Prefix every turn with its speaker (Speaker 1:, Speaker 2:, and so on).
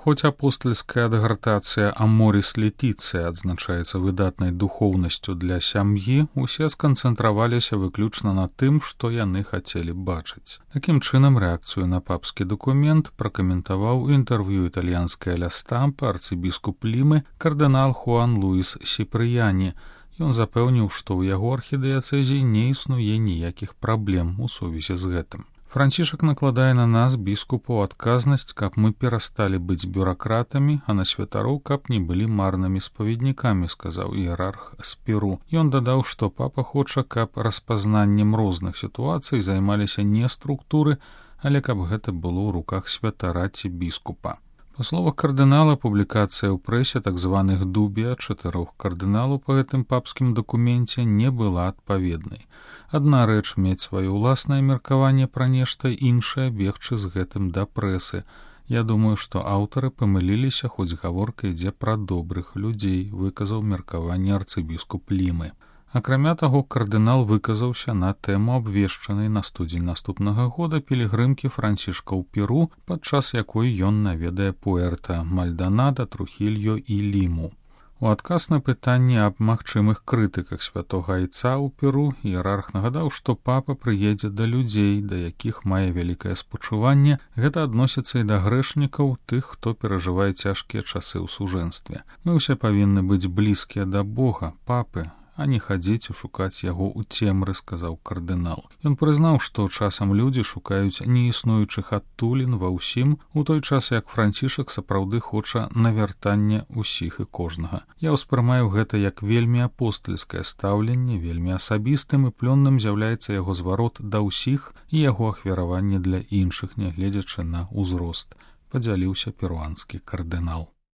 Speaker 1: Хоць апостальская адгартацыя «Аморіс Летіцыя» адзначаецца выдатнай духоўнасцю для сям'і, усе сканцэнтраваліся выключна на тым, што яны хацелі бачыць. Такім чынам, рэакцыю на папскі дакумент пракаментаваў у інтэрв'ю італьянская ля Стампа арцыбіскуп Лімы кардынал Хуан Луіс Сіпрыяні. Ён запэўніў, што ў яго архідыяцэзіі не існуе ніякіх праблем у сувязі з гэтым. Францішак накладае на нас, біскупаў, адказнасць, каб мы перасталі быць бюракратамі, а на святароў, каб не былі марнымі спаведнікамі, сказаў іерарх з Перу. Ён дадаў, што папа хоча, каб распазнаннем розных сітуацый займаліся не структуры, але каб гэта было ў руках святара ці біскупа. Па словах кардынала, публікацыя ў прэсе так званых дубія 4 кардыналаў па гэтым папскім дакуменце не была адпаведнай. Адна рэч мець сваё ўласнае меркаванне пра нешта, іншая бегчы з гэтым да прэсы. Я думаю, што аўтары памыліліся, хоць гаворка ідзе пра добрых людзей, выказаў меркаванне арцыбіскуп Лімы. Акрамя таго, кардынал выказаўся на тэму абвешчанай на студзень наступнага года пілігрымкі Францішка ў Перу, падчас якой ён наведае Пуэрта, Мальданада, Трухільо і Ліму. У адказ на пытанне аб магчымых крытыках святога айца ў Перу іерарх нагадаў, што папа прыедзе да людзей, да якіх мае вялікае спачуванне. Гэта адносіцца і да грэшнікаў, тых, хто перажывае цяжкія часы ў сужэнстве. Мы ўсе павінны быць блізкія да Бога, папы, а не хадзіць і шукаць яго ў цемры, сказаў кардынал. Ён прызнаў, што часам людзі шукаюць неіснуючых адтулін ва ўсім, у той час як Францішак сапраўды хоча навяртання ўсіх і кожнага. Я ўспрымаю гэта як вельмі апостальскае стаўленне, вельмі асабістым і плённым з'яўляецца яго зварот да ўсіх і яго ахвяраванне для іншых, нягледзячы на ўзрост, падзяліўся перуанскі кардынал.